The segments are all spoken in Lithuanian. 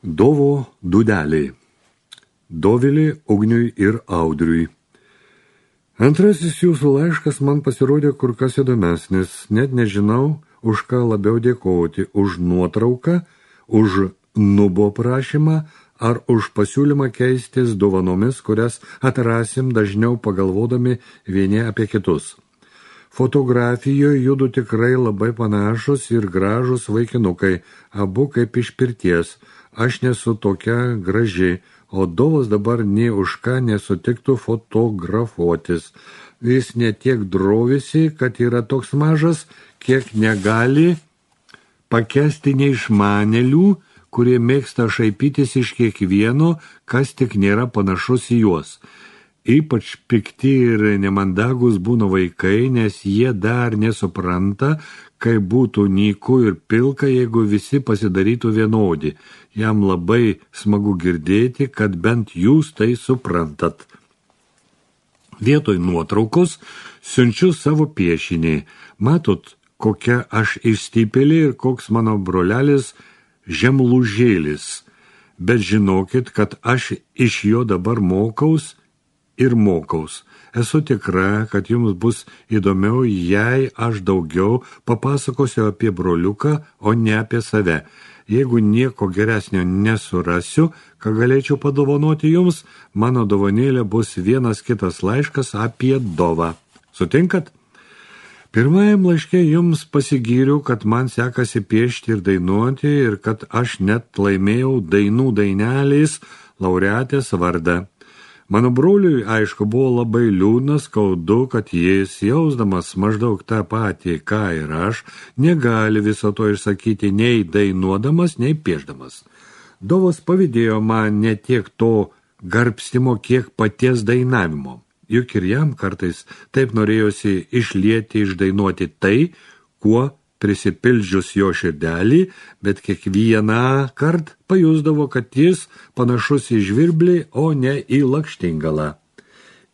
Dovo dūdeliai. Dovilė Ugniui ir Audriui. Antrasis jūsų laiškas man pasirodė kur kas įdomesnis. Net nežinau, už ką labiau dėkoti. Už nuotrauką, už nubo prašymą ar už pasiūlymą keistis dovanomis, kurias atrasim dažniau pagalvodami vieni apie kitus. Fotografijoje judu tikrai labai panašus ir gražus vaikinukai, abu kaip iš pirties. Aš nesu tokia graži, o Dovas dabar nė už ką nesutiktų fotografuotis. Jis ne tiek drovisi, kad yra toks mažas, kiek negali pakęsti neišmanėlių, kurie mėgsta šaipytis iš kiekvieno, kas tik nėra panašus į juos. Ypač pikti ir nemandagus būna vaikai, nes jie dar nesupranta, kaip būtų nyku ir pilka, jeigu visi pasidarytų vienodi. Jam labai smagu girdėti, kad bent jūs tai suprantat. Vietoj nuotraukos siunčiu savo piešinį. Matot, kokia aš išstypėlė ir koks mano brolelis žemlūžėlis. Bet žinokit, kad aš iš jo dabar mokaus ir mokaus. Esu tikra, kad jums bus įdomiau, jei aš daugiau papasakosiu apie broliuką, o ne apie save. Jeigu nieko geresnio nesurasiu, ką galėčiau padovanoti jums, mano dovanėlė bus vienas kitas laiškas apie Dovą. Sutinkat? Pirmajam laiške jums pasigyriu, kad man sekasi piešti ir dainuoti ir kad aš net laimėjau dainų dainelės laureatės vardą. Mano broliui, aišku, buvo labai liūdna, skaudu, kad jis, jausdamas maždaug tą patį, ką ir aš, negali viso to išsakyti nei dainuodamas, nei piešdamas. Dovas pavydėjo man ne tiek to garbstimo, kiek paties dainavimo. Juk ir jam kartais taip norėjosi išlieti, išdainuoti tai, kuo prisipildžius jo širdelį, bet kiekvieną kart pajusdavo, kad jis panašus į žvirblį, o ne į lakštingalą.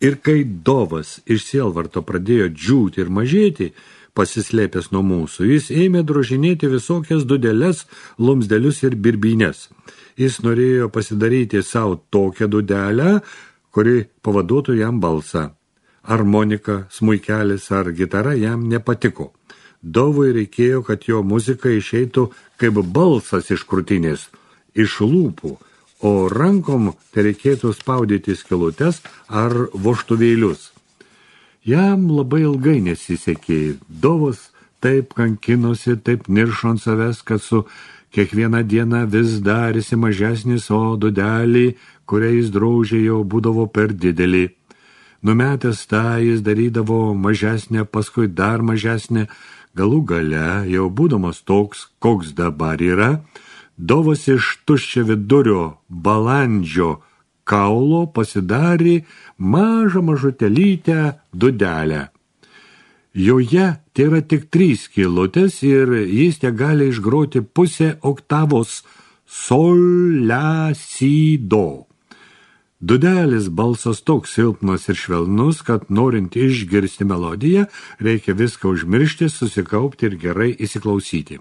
Ir kai Dovas iš sielvarto pradėjo džiūti ir mažėti, pasislėpęs nuo mūsų, jis ėmė drožinėti visokias dūdeles, lumsdelius ir birbines. Jis norėjo pasidaryti savo tokią dūdelę, kuri pavaduotų jam balsą. Armonika, smuikelis ar gitara jam nepatiko. Dovui reikėjo, kad jo muzika išeitų kaip balsas iš krūtinės, iš lūpų, o rankom tai reikėtų spaudyti skylutes ar vožtuvėlius. Jam labai ilgai nesisekė. Dovas taip kankinosi, taip niršo ant savęs, kad su kiekviena diena vis darėsi mažesnis, o dūdelį, kurią jis drožė, jau būdavo per didelį. Numetęs tą jis darydavo mažesnę, paskui dar mažesnę. Galų gale, jau būdamas toks, koks dabar yra, Dovas iš tuščio vidurio balandžio kaulo pasidarė mažą mažutelytę dūdelę. Joje tai yra tik 3 skylutės ir jis te gali išgroti pusę oktavos sol, la, si, do. Dūdelis balsas toks silpnas ir švelnus, kad norint išgirsti melodiją, reikia viską užmiršti, susikaupti ir gerai įsiklausyti.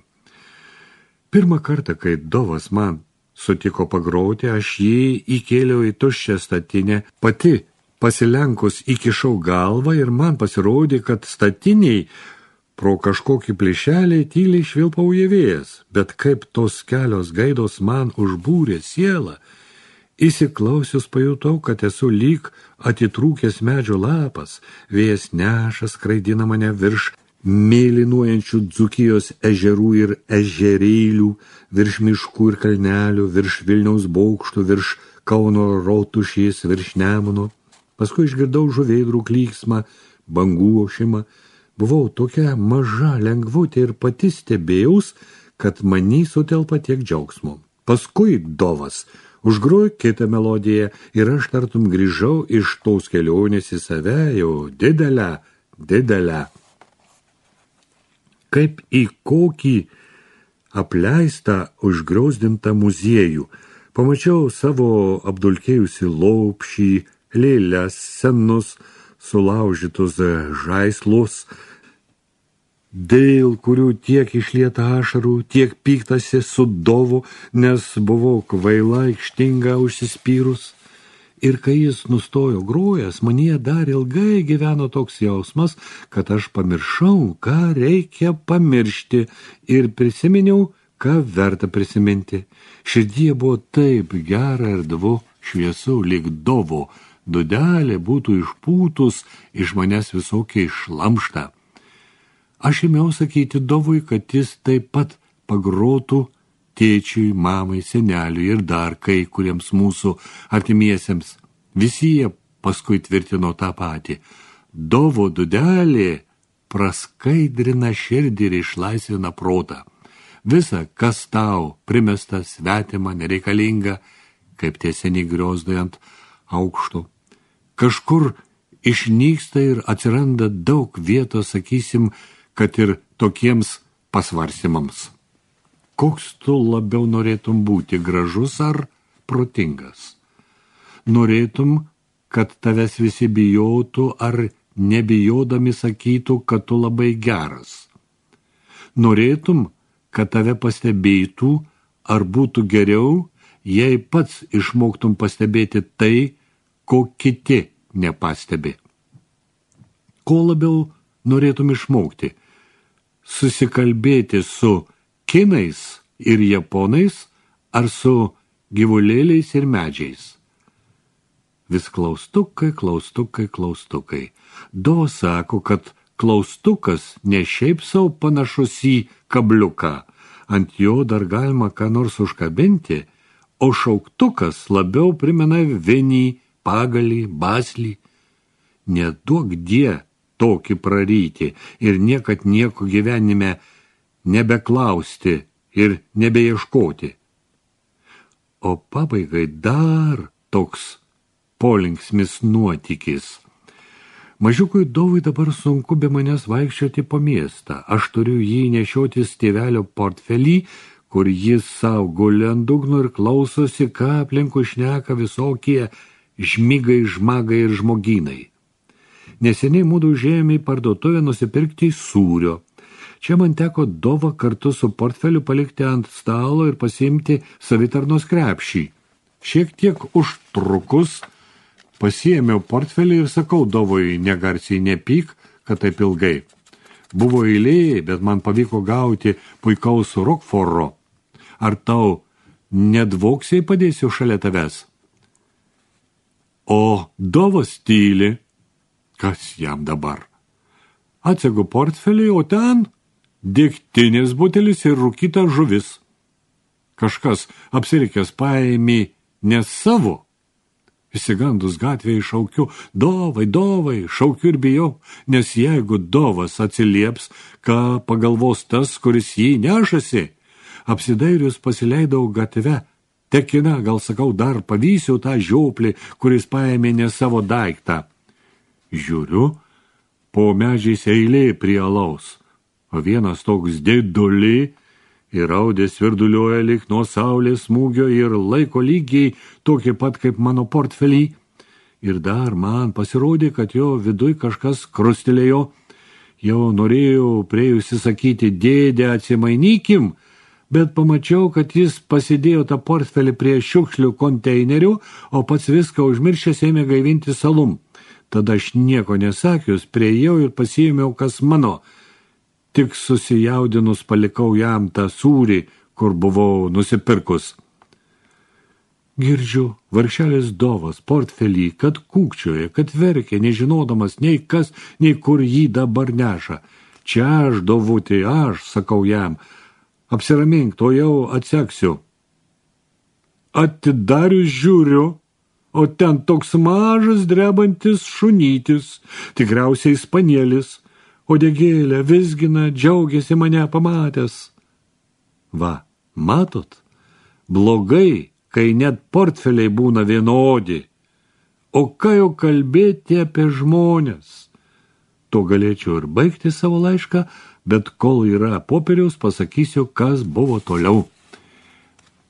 Pirmą kartą, kai Dovas man sutiko pagroti, aš jį įkėliau į tuščią statinę, pati pasilenkus įkišau galvą ir man pasirodė, kad statiniai pro kažkokį plyšelį tyliai švilpauja vėjas, bet kaip tos kelios gaidos man užbūrė sielą, įsiklausius pajutau, kad esu lyg atitrūkęs medžio lapas, vėjas neša, skraidina mane virš mėlynuojančių Dzūkijos ežerų ir ežerėlių, virš miškų ir kalnelių, virš Vilniaus bokštų, virš Kauno rotušės, virš Nemuno. Paskui išgirdau žuvėdrų klyksmą, bangų ošimą. Buvau tokia maža lengvutė ir pati stebėjaus, kad manį sutelpa tiek džiaugsmo. Paskui Dovas užgrojo kitą melodiją ir aš tartum grįžau iš tos kelionės į save jau didelę. Kaip į kokį apleistą, užgriozdintą muziejų. Pamačiau savo apdulkėjusi lopšį, lėles, senus, sulaužytus žaislus. dėl kurių tiek išlieta ašarų, tiek pyktasi su Dovu, nes buvau kvaila, aikštinga, užsispyrus. Ir kai jis nustojo grojęs, manyje dar ilgai gyveno toks jausmas, kad aš pamiršau, ką reikia pamiršti ir prisiminiau, ką verta prisiminti. Širdyje buvo taip gera ir dvu šviesu, lyg Dovo dūdelė būtų išpūtus iš manęs visokiai šlamštą. Aš ėmiau sakyti Dovui, kad jis taip pat pagrotų tėčiui, mamai, seneliui ir dar kai kuriems mūsų artimiesiems. Visi jie paskui tvirtino tą patį. Dovo dūdelė praskaidrina širdį ir išlaisvina protą. Visa, kas tau primesta, svetima, nereikalinga, kaip tie seniai griozdai ant aukšto. Kažkur išnyksta ir atsiranda daug vietos, sakysim, kad ir tokiems pasvarstymams. Koks tu labiau norėtum būti, gražus ar protingas? Norėtum, kad tavęs visi bijotų ar nebijodami sakytų, kad tu labai geras? Norėtum, kad tave pastebėtų ar būtų geriau, jei pats išmoktum pastebėti tai, ko kiti nepastebi? Ko labiau norėtum išmokti? Susikalbėti su kinais ir japonais ar su gyvulėliais ir medžiais? Vis klaustukai, klaustukai, klaustukai. Dovo sako, kad klaustukas ne šiaip savo panašus į kabliuką, ant jo dar galima ką nors užkabinti, o šauktukas labiau primena vinį, pagalį, baslį. Neduok die tokį praryti ir niekad nieko gyvenime nebeklausti ir nebeieškoti. O pabaigai dar toks polinksmis nuotykis. Mažiukui Dovui dabar sunku be manęs vaikščioti po miestą. Aš turiu jį nešiotis tėvelio portfelį, kur jis savo guli ant dugno ir klausosi, ką aplinkui šneka visokie žmigai, žmagai ir žmogynai. Neseniai mūdu užėjome į parduotuvę nusipirkti sūrio. Čia man teko Dovą kartu su portfeliu palikti ant stalo ir pasiimti savitarnos krepšį. Šiek tiek užtrukus pasiėmiau portfelį ir sakau Dovui negarsiai, nepyk, kad taip ilgai. Buvo eilė, bet man pavyko gauti puikaus Rokforo. Ar tau nedvoksiai padėsiu šalia tavęs? O Dovas tyli. Kas jam dabar? Atsegu portfelį, o ten degtinės butelis ir rūkyta žuvis. Kažkas apsirikęs paėmė ne savo. Įsigandus gatvėje šaukiu, Dovai, Dovai, šaukiu ir bijau, nes jeigu Dovas atsilieps, ką pagalvos tas, kuris jį nešasi, apsidairius pasileidau gatve. Tekina, gal sakau, dar pavysiu tą žioplį, kuris paėmė ne savo daiktą. Žiūriu, po medžiais eilė prie alaus, o vienas toks didulį ir raudės virduliuoja lyg nuo saulės smūgio ir laiko lygiai tokį pat kaip mano portfelį. Ir dar man pasirodė, kad jo viduj kažkas krustelėjo. Jau norėjau priejusi sakyti, dėdė, atsimainykim, bet pamačiau, kad jis pasidėjo tą portfelį prie šiukšlių konteinerių, o pats viską užmiršęs ėmė gaivinti salum. Tada aš nieko nesakius, priėjau ir pasiėmiau, kas mano. Tik susijaudinus palikau jam tą sūrį, kur buvau nusipirkus. Girdžiu, vargšelis Dovas portfelį, kad kūkčioja, kad verkia, nežinodamas nei kas, nei kur jį dabar neša. Čia aš, Dovutį, aš, sakau jam, apsiramink, to jau atseksiu. Atidarius žiūriu, o ten toks mažas drebantis šunytis, tikriausiai spanielis, uodegėlę vizgina, džiaugiasi mane pamatęs. Va, matot, blogai, kai net portfeliai būna vienodi. O ką jau kalbėti apie žmonės? To galėčiau ir baigti savo laišką, bet kol yra popieriaus, pasakysiu, kas buvo toliau.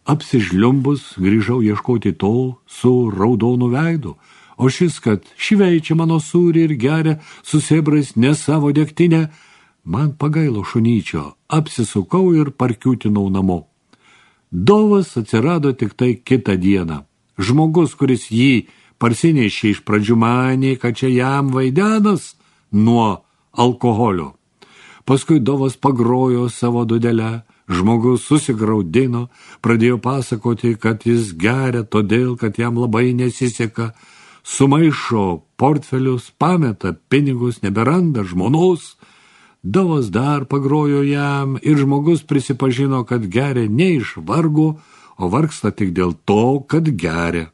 Apsižliumbus grįžau ieškoti to su raudonu veidu, o šis, kad šveičia mano sūrį ir geria su sėbrais ne savo degtinę, Man pagailo šunyčio, apsisukau ir parkiūtinau namo. Dovas atsirado tik tai kitą dieną. Žmogus, kuris jį parsinešė iš pradžių manė, kad čia jam vaidenas nuo alkoholio. Paskui Dovas pagrojo savo dudelę, žmogus susigraudino, pradėjo pasakoti, kad jis geria todėl, kad jam labai nesiseka, sumaišo portfelius, pameta pinigus, neberanda žmonos. Dovas dar pagrojo jam ir žmogus prisipažino, kad geria ne iš vargo, o vargsta tik dėl to, kad geria.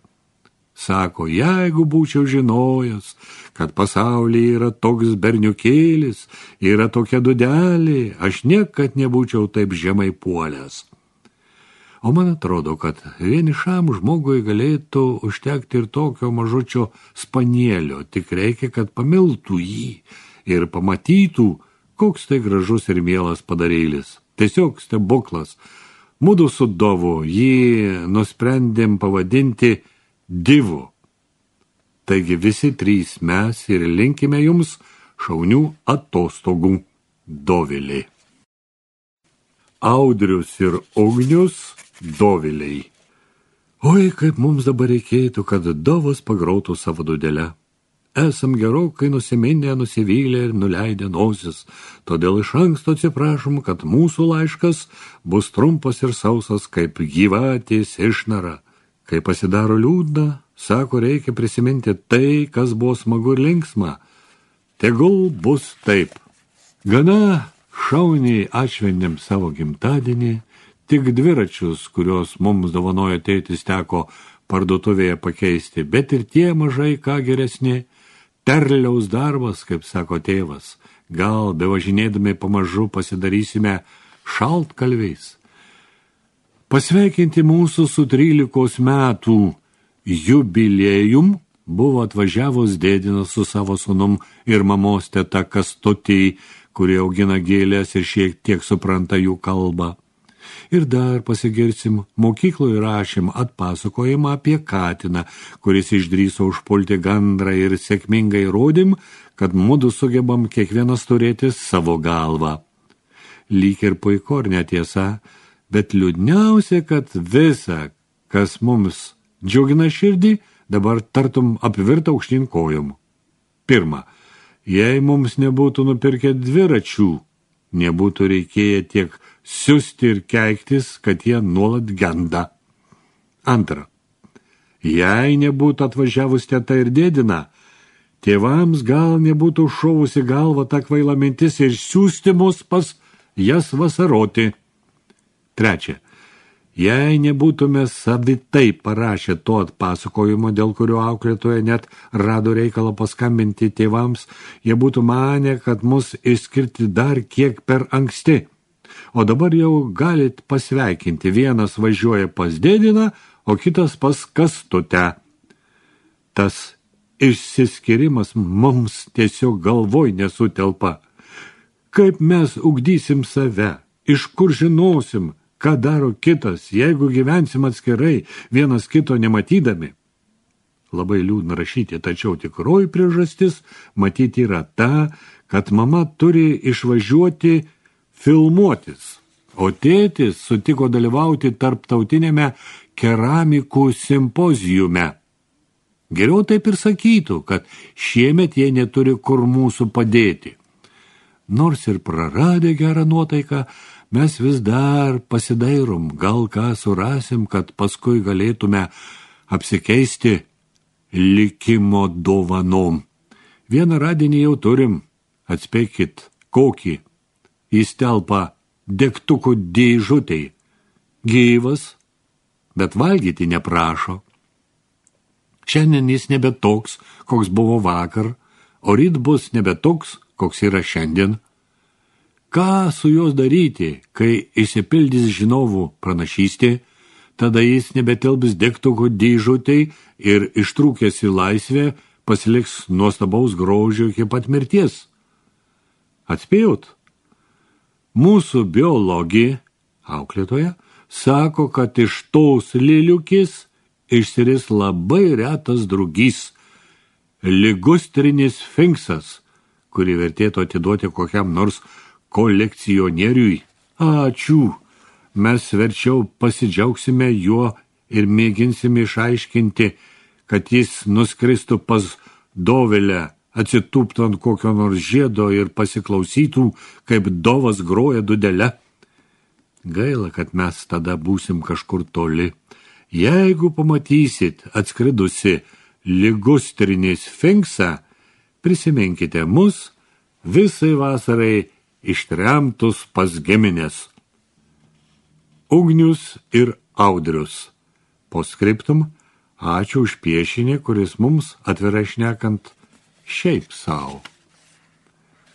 Sako, jeigu būčiau žinojęs, kad pasaulyje yra toks berniukėlis, yra tokia dudelė, aš niekad nebūčiau taip žemai puolęs. O man atrodo, kad vienišam žmogui galėtų užtekti ir tokio mažučio spanielio, tik reikia, kad pamiltų jį ir pamatytų, koks tai gražus ir mielas padarėlis. Tiesiog stebuklas. Mudu su Dovu jį nusprendėm pavadinti Divu. Taigi visi trys mes ir linkime jums šaunių atostogų. Dovilė. Audrius ir Ugnius Doviliai. Oi, kaip mums dabar reikėtų, kad Dovas pagrautų savo dudelę. Esam gerokai nusiminę, nusivylę ir nuleidę nosis, todėl iš anksto atsiprašom, kad mūsų laiškas bus trumpas ir sausas kaip gyvatės išnara. Kai pasidaro liūdna, sako, reikia prisiminti tai, kas buvo smagu ir linksma. Tegul bus taip. Gana šauniai atšventėm savo gimtadienį, tik dviračius, kuriuos mums dovanojo tėtis, teko parduotuvėje pakeisti, bet ir tie mažai ką geresni. Terliaus darbas, kaip sako tėvas, gal bevažinėdami pamažu pasidarysime šaltkalviais. Pasveikinti mūsų su 13 metų jubiliejum buvo atvažiavus dėdinas su savo sūnum ir mamos teta Kastutį, kurie augina gėlės ir šiek tiek supranta jų kalbą. Ir dar pasigirsim, mokykloje rašėm atpasakojimą apie katiną, kuris išdrįso užpulti gandrą ir sėkmingai rodėm, kad mudu sugebam kiekvienas turėti savo galvą. Lyg ir puiku ar netiesa, bet liūdniausia, kad visa, kas mums džiugina širdį, dabar tartum apvirta aukštyn kojom. Pirma, jei mums nebūtų nupirkę dviračių, nebūtų reikėję tiek siusti ir keiktis, kad jie nuolat genda. Antra, jei nebūtų atvažiavus teta ir dėdina, tėvams gal nebūtų šovusi galva ta kvaila mintis ir siųsti mus pas jas vasaroti. Trečia, jei nebūtume savitai parašę to atpasakojimo, dėl kurio auklėtoja net rado reikalą paskambinti tėvams, jie būtų manę, kad mus išskirti dar kiek per anksti. O dabar jau galit pasveikinti, vienas važiuoja pas dėdiną, o kitas pas Kastutę. Tas išsiskirimas mums tiesiog galvoj nesutelpa. Kaip mes ugdysim save, iš kur žinosim, ką daro kitas, jeigu gyvensim atskirai, vienas kito nematydami? Labai liūdna rašyti, tačiau tikroji priežastis matyti yra ta, kad mama turi išvažiuoti filmuotis, o tėtis sutiko dalyvauti tarptautinėme keramikų simpozijume. Geriau taip ir sakytų, kad šiemet jie neturi kur mūsų padėti. Nors ir praradę gerą nuotaiką, mes vis dar pasidairom, gal ką surasim, kad paskui galėtume apsikeisti likimo dovanom. Vieną radinį jau turim, atspėkit, kokį. Jis telpa degtukų dėžutei. Gyvas, bet valgyti neprašo. Šiandien jis nebe toks, koks buvo vakar, o ryt bus nebe toks, koks yra šiandien. Ką su jos daryti, kai išsipildys žinovų pranašystė, tada jis nebetilps degtukų dėžutei ir ištrūkęs į laisvę pasiliks nuostabaus grožio iki pat mirties. Atspėjot? Mūsų biologija, auklėtoja, sako, kad iš tos liliukės išsiris labai retas drugys, ligustrinis sfinksas, kurį vertėtų atiduoti kokiam nors kolekcionieriui. Ačiū, mes verčiau pasidžiaugsime juo ir mėginsime išaiškinti, kad jis nuskristų pas Dovilę, atsitūptų ant kokio nors žiedo ir pasiklausytų, kaip Dovas groja dudele. Gaila, kad mes tada būsim kažkur toli. Jeigu pamatysit atskridusi ligustrinį sfinksą, prisiminkite mus visai vasarai ištremtus pas Gemines. Ugnius ir Audrius. Postscriptum, ačiū už piešinį, kuris mums atvirai šnekant šiaip sau.